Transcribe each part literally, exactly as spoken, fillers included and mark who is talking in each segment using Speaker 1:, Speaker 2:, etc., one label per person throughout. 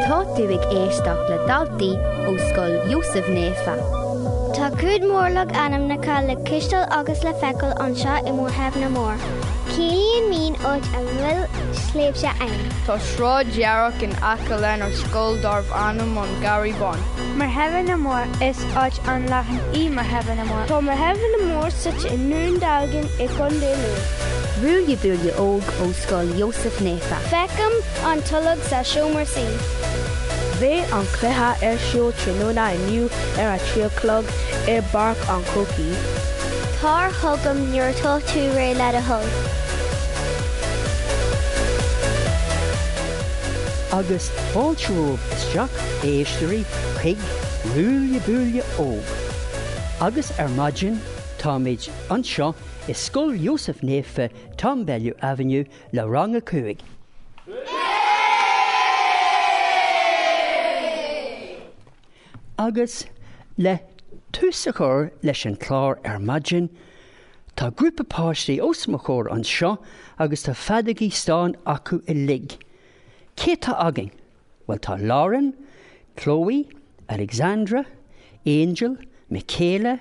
Speaker 1: Tá tú ag éisteacht le daltaí ó Scoil Iósaef Naofa.
Speaker 2: Tá cuid mhór logainmneacha le cloisteáil agus le feiceáil anseo i Muirtheimhne Mór. Ciallaíonn mín áit a bhfuil sléibhte ann.
Speaker 3: Tá sráid dhearg in aice lenár scoil darb ainm an Garraí Bán.
Speaker 4: Muirtheimhne Mór is áit an-leathan í Muirtheimhne Mór.
Speaker 5: Tá Muirtheimhne Mór suite i nDún Dealgan i gContae Lú.
Speaker 1: Ruaille Buaille Óg ó Scoil Iósaef Naofa.
Speaker 2: Feicim an tolg sa seomra suí.
Speaker 5: Beidh an cluiche ar siúl tráthnóna inniu ar a trí a chlog i bPáirc an Chrócaigh.
Speaker 2: Tar chugam nuair atá tú réidh le do thoil.
Speaker 6: Agus fáilte romhaibh isteach éisteoirí chuig Ruaille Buaille Óg. Agus ar maidin táimid anseo i Scoil Iósaef Naofa Tom Bellew Avenue le rang a cúig. Agus le tús a chur leis an chlár ar maidin, tá grúpa páistí os mo chomhair anseo agus tá feadógaí stáin acu uilig. Cé tá againn? Well tá Lauren, Chloe, Alexandra, Angel, Michaela,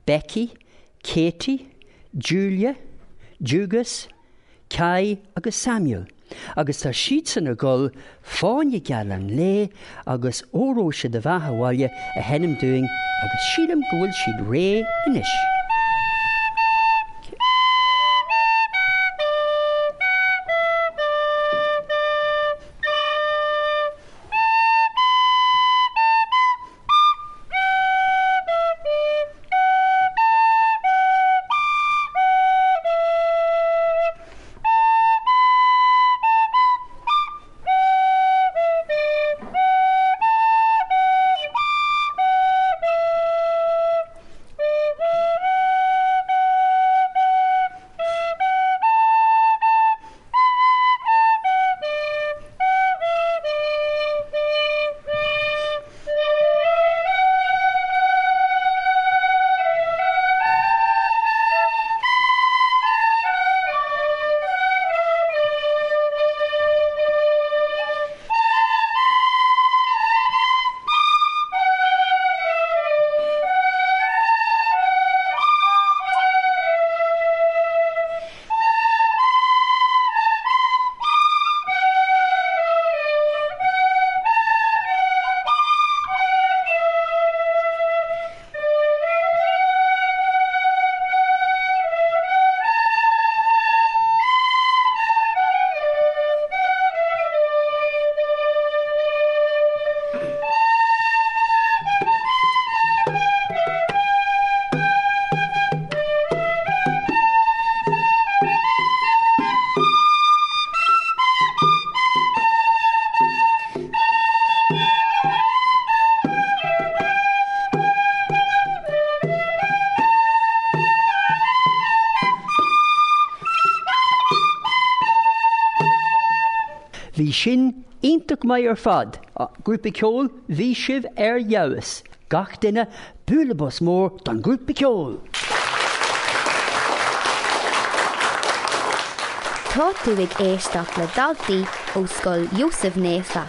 Speaker 6: Becky, Katie, Julia, Jugus, Kai agus Samuel. Agus tá siadsan ag dul Fáinne Geal an Lae agus Óró Sé do Bheatha 'Bhaile a sheinm dúinn agus sílim go bhfuil siad réidh anois. Bhí sin iontach maith ar fad. Grúpa ceoil, bhí sibh ar fheabhas. Gach duine bualadh bos mór don grúpa ceoil.
Speaker 1: Tá tú ag éisteacht le daltaí ó Scoil Iósaef Naofa.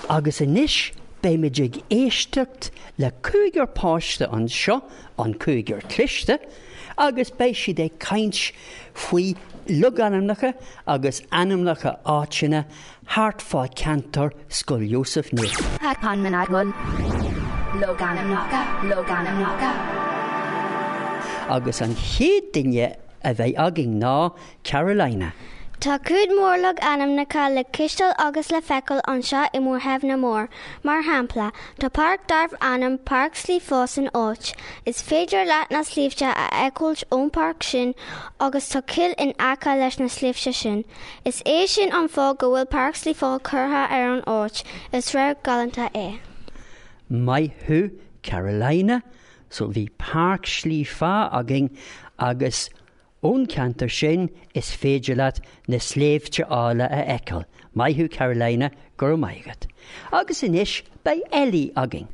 Speaker 6: Agus anois beimid ag éisteacht le cúigear páiste anseo, an cúigear cliste, agus beidh siad ag caint faoi logainmneacha agus ainmneacha áiteanna thart fá ceantar Scoil Iósaef Naofa.
Speaker 1: Logainmneacha, logainmneacha.
Speaker 6: Agus an chéad duine a bheidh againn ná Carolina.
Speaker 2: Tá cuid mhór logainmneacha le cloisteáil agus le feiceáil anseo i Muirtheimhne Mór. Mar shampla, tá páirc darb ainm Páirc Sliabh Feá san áit. Is féidir leat na sléibhte a fheiceáil ón páirc sin agus tá cill in aice leis na sléibhte sin. Is é sin an fáth go bhfuil Páirc Sliabh Feá curtha ar an áit, is radharc galánta é.
Speaker 6: Maith thú Carolina, so bhí Páirc Sliabh Feá againn agus ón ceantar sin is féidir leat na sléibhte áille a fheiceáil. Maith thú Carolina go raibh maith agat. Agus anois beidh Ellie againn.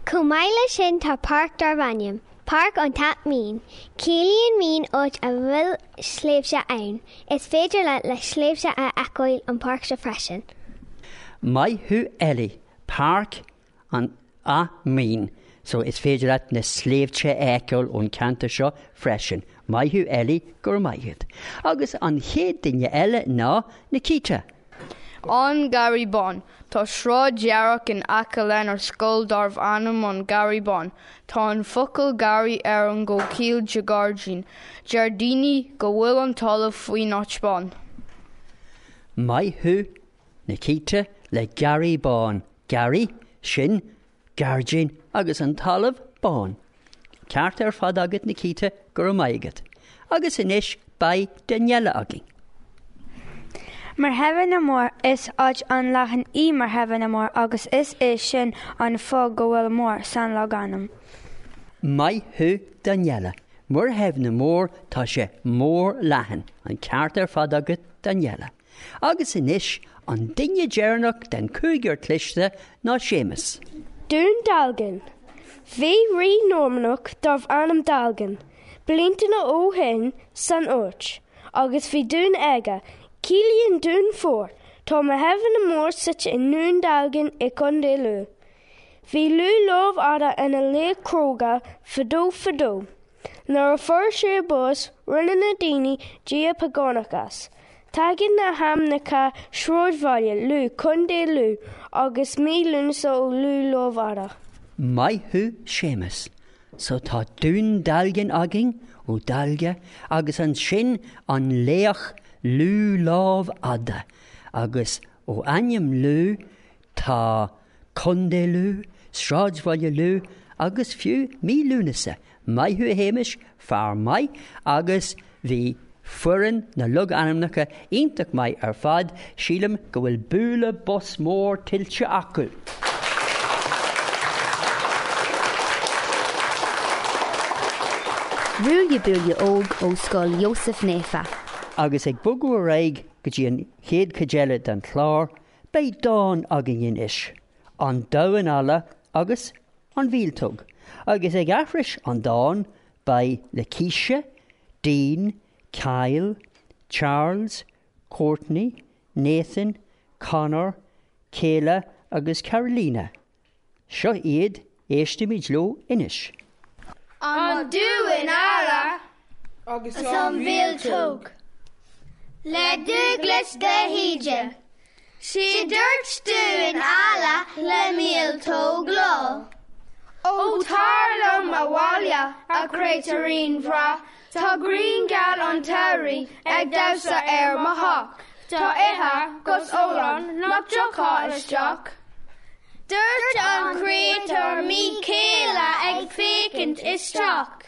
Speaker 2: Chomh maith leis sin tá páirc darb ainm. Páirc an tAth Mín. Ciallaíonn mín áit a bhfuil sléibhte ann. Is féidir leat na sléibhte a fheiceáil an páirc seo freisin.
Speaker 6: Maith thú Ellie, Páirc an Ath Mín. So is féidir leat na sléibhte a fheiceáil ón ceantar seo freisin. Maith thú Ellie go raibh maith agat. Agus an chéad duine eile ná Nikita.
Speaker 3: An Garraí Bán. Tá sráid dhearg in aice lenár scoil darbh ainm an Garraí Bán. Tá an focal garraí ar an gcomhchiall de gairdín. Deir daoine go bhfuil an talamh faoin áit bán.
Speaker 6: Maith thú Nikita le Garraí Bán. Garraí sin gairdín agus an talamh bán. Ceart ar fad agat Nikita go raibh maith agat. Agus anois beidh Daniela againn.
Speaker 4: Muirtheimhne na Mór is áit an-leathan í Muirtheimhne na Mór agus is é sin an fáth go bhfuil mór san logainm.
Speaker 6: Maith thú Daniela. Muirtheimhne na Mór tá sé mór leathan an ceart ar fad agat Daniela. Agus anois an duine deireanach den cúigear cliste ná Séamus.
Speaker 5: Dún Dealgan. Bhí rí Normannach darbh ainm Dealgan, blianta ó shin san áit, agus bhí dún aige, Ciallaíonn dún fort, tá Muirtheimhne na Mór suite i nDún Dealgan i Contae Lú. Bhí Lú Lámh Fhada ina laoch cróga fadó fadó. Nuair a fuair sé bás rinne na daoine dia págánach as. Tagann na hainmneacha sráidbhaile Lú Contae Lú agus mí Lúnasa ó Lú Lámh Fhada.
Speaker 6: Maith thú Séamus, so tá Dún Dealgan againn ó Dealga agus ansin an laoch Lú Lámh Fhada agus ó ainm Lú tá Contae Lú, Sráidbhaile Lú agus fiú mí Lúnasa. Maith thú Shéamuis, fear maith agus bhí foireann na logainmneacha iontach maith ar fad, sílim go bhfuil bualadh bos mór tuillte acu.
Speaker 1: Ruaille Buaille Óg ó Scoil Iósaf Naofa.
Speaker 6: Agus ag bogadh ar aghaidh go dtí an chéad chuid eile den chlár, beidh dán againn anois, an damhán alla agus an mhíoltóg. Agus ag aithris an dán beidh Lakeisha, Dean, Kyle, Charles, Courtney, Nathan, Connor, Kayla agus Carolina. Seo iad éistimid leo anois.
Speaker 2: An damhán alla agus an mhíoltóg. Le Dúglas de hÍde. Sí dúirt damhán alla le míoltóg lá.
Speaker 3: Ó tar liom abhaile a chréatúirín bhreá, Tá grian gheal an tsamhraidh ag damhsa ar mo theach, Tá ithe 'gus ól ann nach dtiocfá isteach.
Speaker 2: Dúirt an créatúr míchéile ag féachaint isteach.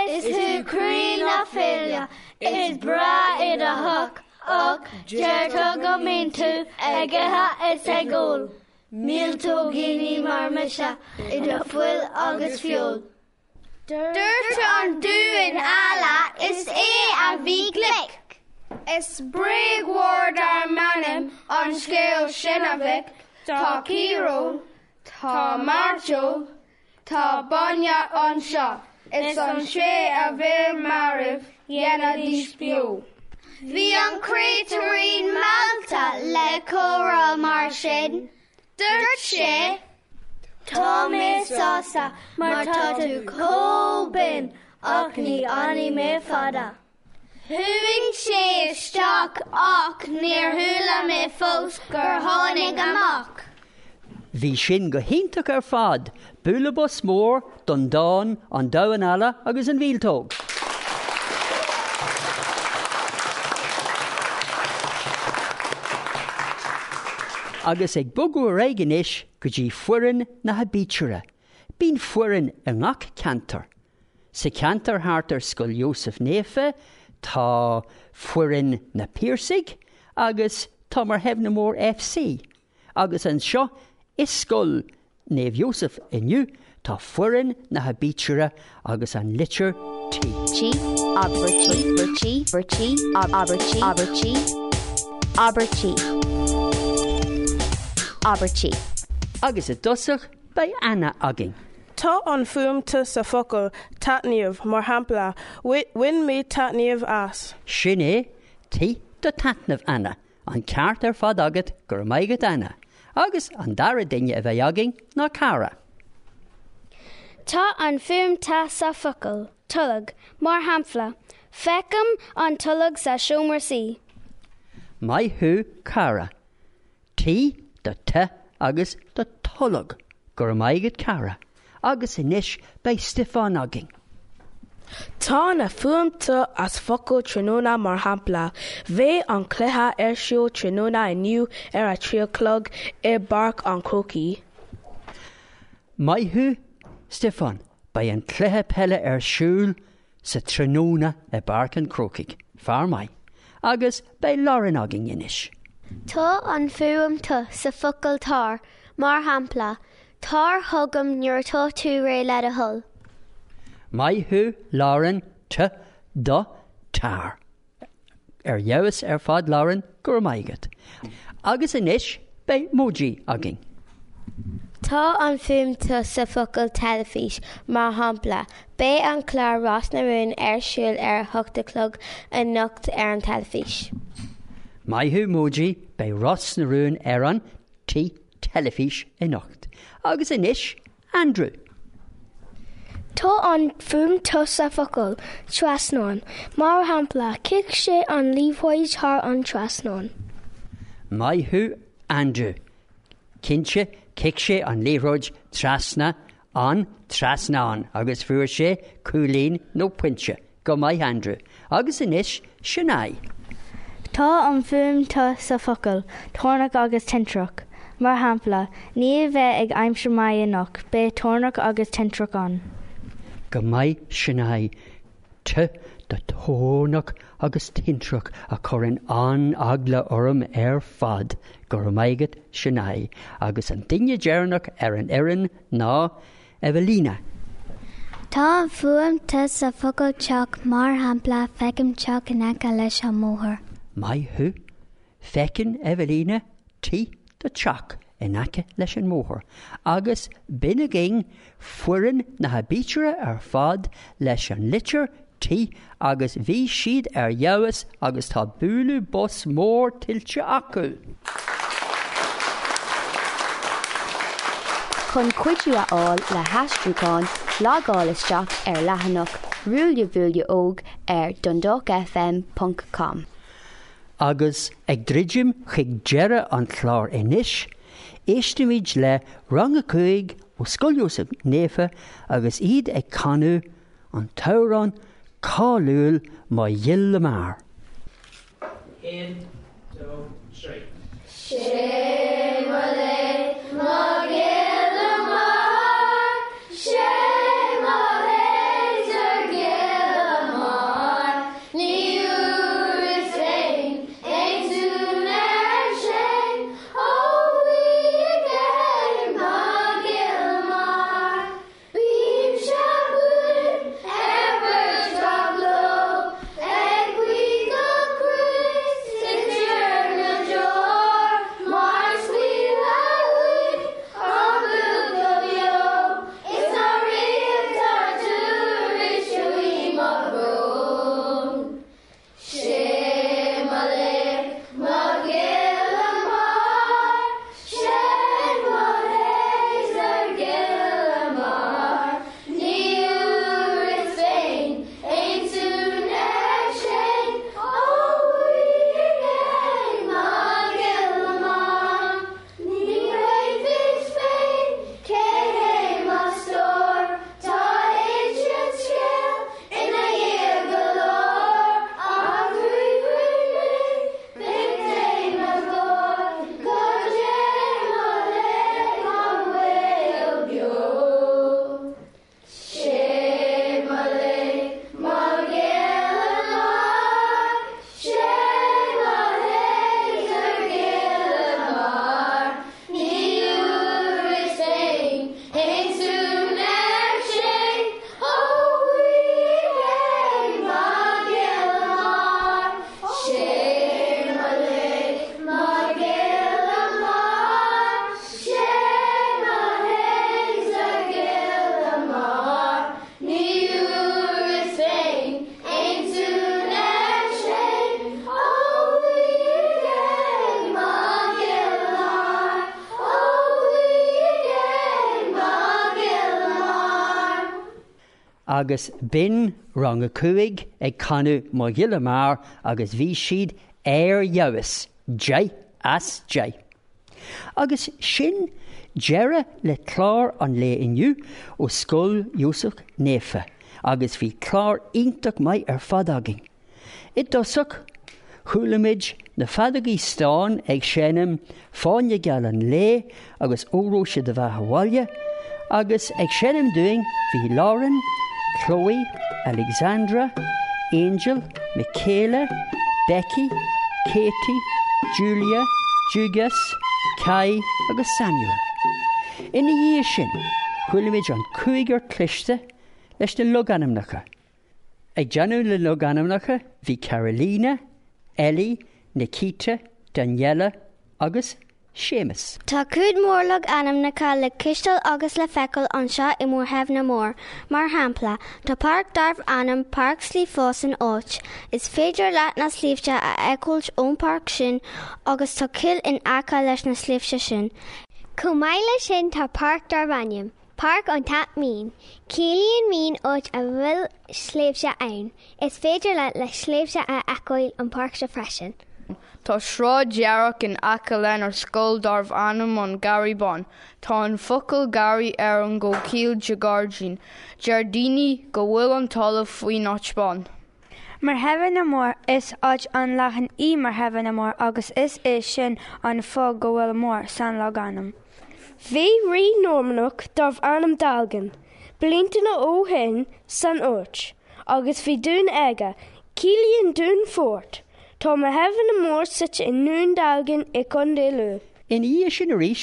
Speaker 2: Is tú croí na féile, is breá i do theach, ach deirtear go mbíonn tú ag ithe is ag ól. Míoltóigíní mar mise idir fuil agus feoil.
Speaker 7: Dúirt an damhán alla is é a bhí glic.
Speaker 3: Is bréag mhór dár m'anam an scéal sin a mhic, Tá ciaróg, tá mairteoil, tá bainne anseo, is an té a bhí marbh dhéanfaidís beo.
Speaker 7: Bhí an créatúirín meallta le comhrá mar sin, Dúirt sé,
Speaker 2: Tá mé sásta mar tá tú chomh binn ach ní fhanfaidh mé fada.
Speaker 7: Chuaigh sé isteach ach níor chuala mé fós gur tháinig amach.
Speaker 6: Bhí sin go hiontach ar fad, bualadh bos mór don dán, an damhán alla agus an mhíoltóg. Agus ag bogadh ar aghaidh anois go dtí foireann na haibítre. Bíonn foireann i ngach ceantar. Sa cheantar thart ar Scoil Iósaf Naofa, tá foireann na Piarsaigh agus tá Muirtheimhne Mór F C. Agus anseo i Scoil Naomh Iósaf inniu tá foireann na haibítre agus an litir T.
Speaker 1: T, abair T, B, T, abair T, abair T, abair T, abair T.
Speaker 6: Agus i dtosach beidh Anna againn.
Speaker 8: Tá an fuaim T sa focal taitneamh mar shampla bhain mé taitneamh as.
Speaker 6: Sin é T do taitneamh Anna, an ceart ar fad agat go raibh maith agat Anna, agus an dara duine a bheidh againn ná Cara.
Speaker 2: Tá an fuaim T sa focal, tolg, mar shampla, feicim an tolg sa seomra suí.
Speaker 6: Maith thú Cara. T do T agus do tolg, go raibh maith agat Cara, agus anois beidh Stiofán againn.
Speaker 9: Tá na fuaim T as focal tráthnóna mar shampla, Beidh an cluiche ar siúl tráthnóna inniu ar a trí a chlog i bPáirc an Chrócaigh.
Speaker 6: Maith thú, Stiofán, beidh an cluiche peile ar siúl sa tráthnóna i bPáirc an Chrócaigh, fear maith, agus beidh Lauren againn anois.
Speaker 7: Tá an fuaim T sa focal tar, mar shampla, tar chugam nuair atá tú réidh le do thoil.
Speaker 6: Maith thú Lauren T do tar. Ar fheabhas ar fad Lauren go raibh maith agat. Agus anois beidh Moji againn.
Speaker 10: Tá an fuaim T sa focal teilifís, mar shampla, beidh an clár Ros na Rún ar siúl ar a hocht a chlog anocht ar an teilifís.
Speaker 6: Maith thú Moji beidh Ros na Rún ar an T teilifís anocht. Agus anois Andrew.
Speaker 5: Tá an fuaim T sa focal trasnán, mar shampla chic sé an liathróid thar an trasnán.
Speaker 6: Maith thú Andrew. Cinnte chic sé an liathróid trasna an trasnán agus fuair sé cúilín nó pointe go maith Andrew, agus anois Sinéad.
Speaker 4: Tá an fuaim T sa focal, toirneach agus tintreach. Mar shampla, ní bheidh ag aimsir mhaith anocht, beidh toirneach agus tintreach ann.
Speaker 6: Go maith Sinéad T do toirneach agus tintreach a chuireann an-eagla orm ar fad go raibh maith agat Sinéad, agus an duine deireanach ar an fhoireann ná Evelina.
Speaker 2: Tá an fuaim T sa focal teach mar shampla feicim teach in aice leis an mbóthar.
Speaker 6: Maith thú, feiceann Evelina T do teach in aice leis an mbóthar, agus b'in againn foireann na haibítire ar fad leis an litir T agus bhí siad ar fheabhas agus tá bualadh bos mór tuillte acu.
Speaker 1: Chun cuidiú a fháil le haistriúchán, logáil isteach ar leathanach Ruaille Bhuaile Óg ar dundalk fm ponc com.
Speaker 6: Agus ag druidim chuig deireadh an chláir anois, éistimid le rang a cúig ó Scoil Iósaef Naofa agus iad ag canadh an t-amhrán cáiliúil Mo Ghile Mear.
Speaker 11: Aon, dó, trí.
Speaker 7: Sé mo léan, mo ghile mear, sé mo léidir gile mear, ní fhuaras féin aon tún ar sin, ó bhí aige mo ghile mear. Bímse buan ar bhur dtraglo, ag guí go Críost is ar na deor, mar
Speaker 6: agus b'in rang a cúig ag canadh Mo Ghile Mear agus bhí siad ar fheabhas, deich as deich. Agus sin deireadh le clár an lae inniu ó Scoil Iósaf Naofa agus bhí clár iontach maith ar fad againn. I dtosach, chuala muid na feadógaí stáin ag seinm Fáinne Geal an Lae agus Óró Sé do Bheatha 'Bhaile, agus ag seinm dúinn bhí Lauren, Chloe, Alexandra, Angel, Michaela, Becky, Katie, Julia, Jugas, Kai agus Samuel. Ina dhiaidh sin, chuala muid an cúigear cliste leis na logainmneacha. Ag déanamh na logainmneacha bhí Carolina, Ellie, Nikita, Daniela agus Séamus.
Speaker 2: Tá cuid mhór logainmneacha le cloisteáil agus le feiceáil anseo i Muirtheimhne Mór. Mar shampla, tá páirc darbh ainm Páirc Sliabh Fáth san áit. Is féidir leat na sléibhte a fheiceáil ón bpáirc sin agus tá cill in aice leis na sléibhte sin.
Speaker 7: Chomh maith leis sin tá páirc darb ainm, Páirc an Tap Mín. Ciallaíonn mín áit a bhfuil sléibhte ann. Is féidir leat na sléibhte a fheiceáil ón bpáirc seo freisin.
Speaker 3: Tá sráid dhearg in aice lenár scoil darbh ainm an Garraí Bán. Tá an focal garraí ar an gcomhchiall de gairdín. Deir daoine go bhfuil an talamh faoin áit bán.
Speaker 12: Muirtheimhne Mór is áit an-leathan í Muirtheimhne Mór agus is é sin an fáth go bhfuil mór san logainm.
Speaker 5: Bhí rí Normannach darbh ainm Dalgan, blianta ó shin san áit, agus bhí dún aige, ciallaíonn dún fort. Tá Muirtheimhne Mór suite i nDún Dalgan i Contae Lú.
Speaker 6: Ina dhiaidh sin arís,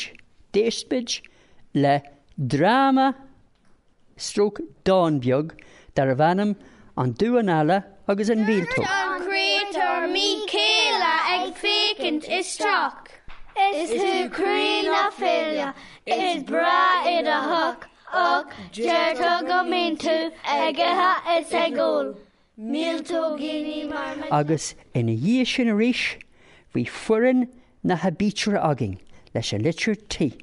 Speaker 6: d'éist muid le dráma stroke dán beag darbh ainm An Damhán Alla agus an Mhíoltóg.
Speaker 3: An créatúr míchéile ag féachaint isteach.
Speaker 13: Is tú croí na féile, is breá i do theach, ach deirtear go mbíonn tú ag ithe is ag ól. Míoltóigíní mar mo.
Speaker 6: Agus ina dhiaidh sin arís, bhí foireann na haibítre againn leis an litir T.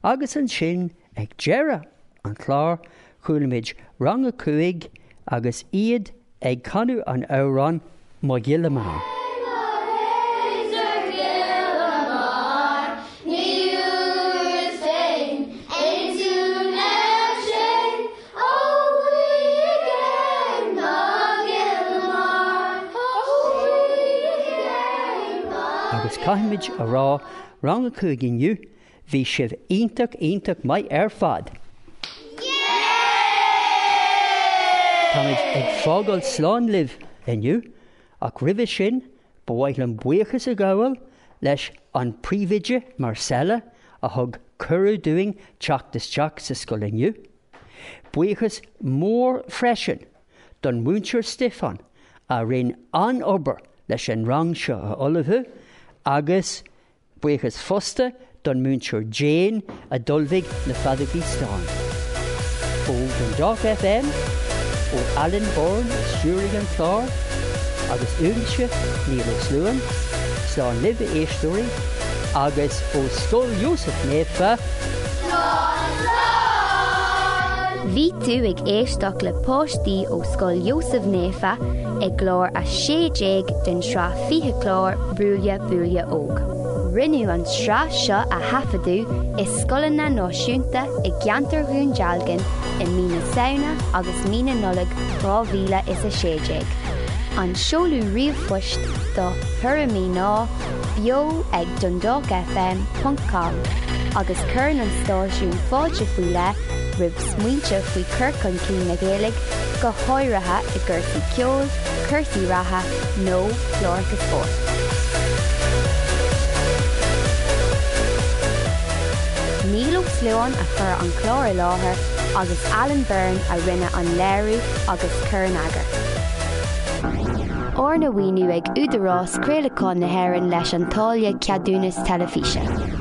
Speaker 6: Agus ansin ag deireadh an chláir chuala muid rang a cúig agus iad ag canadh an amhrán Mo Ghile Mear. Agus caithfimid a rá rang a cúig inniu, bhí sibh iontach iontach maith ar fad. Táimid ag fágáil slán libh inniu, ach roimhe sin ba mhaith liom buíochas a ghabháil leis an príomhoide Marcella a thug cuireadh dúinn teacht isteach sa scoil inniu. Buíochas mór freisin don mhúinteoir Stiofán a rinne an-obair leis an rang seo a ullmhú agus buíochas fosta don mhúinteoir Jane a d'ullmhaigh na feadógaí stáin. Ó Dundalk FM, ó Alan Byrne a stiúraigh an clár, agus uaimse Niall Ó Sluain, slán libh a éisteoirí, agus ó Scoil Iósaf Naofa,
Speaker 1: Bhí tú ag éisteacht le páistí ó Scoil Iósaf Naofa i gclár a sé déag den sraith fiche clár Ruaille Buaille Óg. Rinneadh an tsraith seo a thaifeadadh i scoileanna náisiúnta i gceantar Dhún Dealgan i mí na Samhna agus mí na Nollag dhá mhíle is a sé déag. An seoladh ríomhphoist do thuairimí ná beo ag dundalk fm ponc com agus cuireann an stáisiún fáilte faoi leith roimh smaointe faoi chur chun cinn na Gaeilge, go háirithe i gcúrsaí ceoil, cúrsaí reatha nó cláracha spóirt. Niall Ó Sluain a chuir an clár i láthair agus Alan Byrne a rinne an léiriú agus cur in eagar. Arna mhaoiniú ag Údarás Craolacháin na hÉireann leis an táille ceadúnas teilifíse.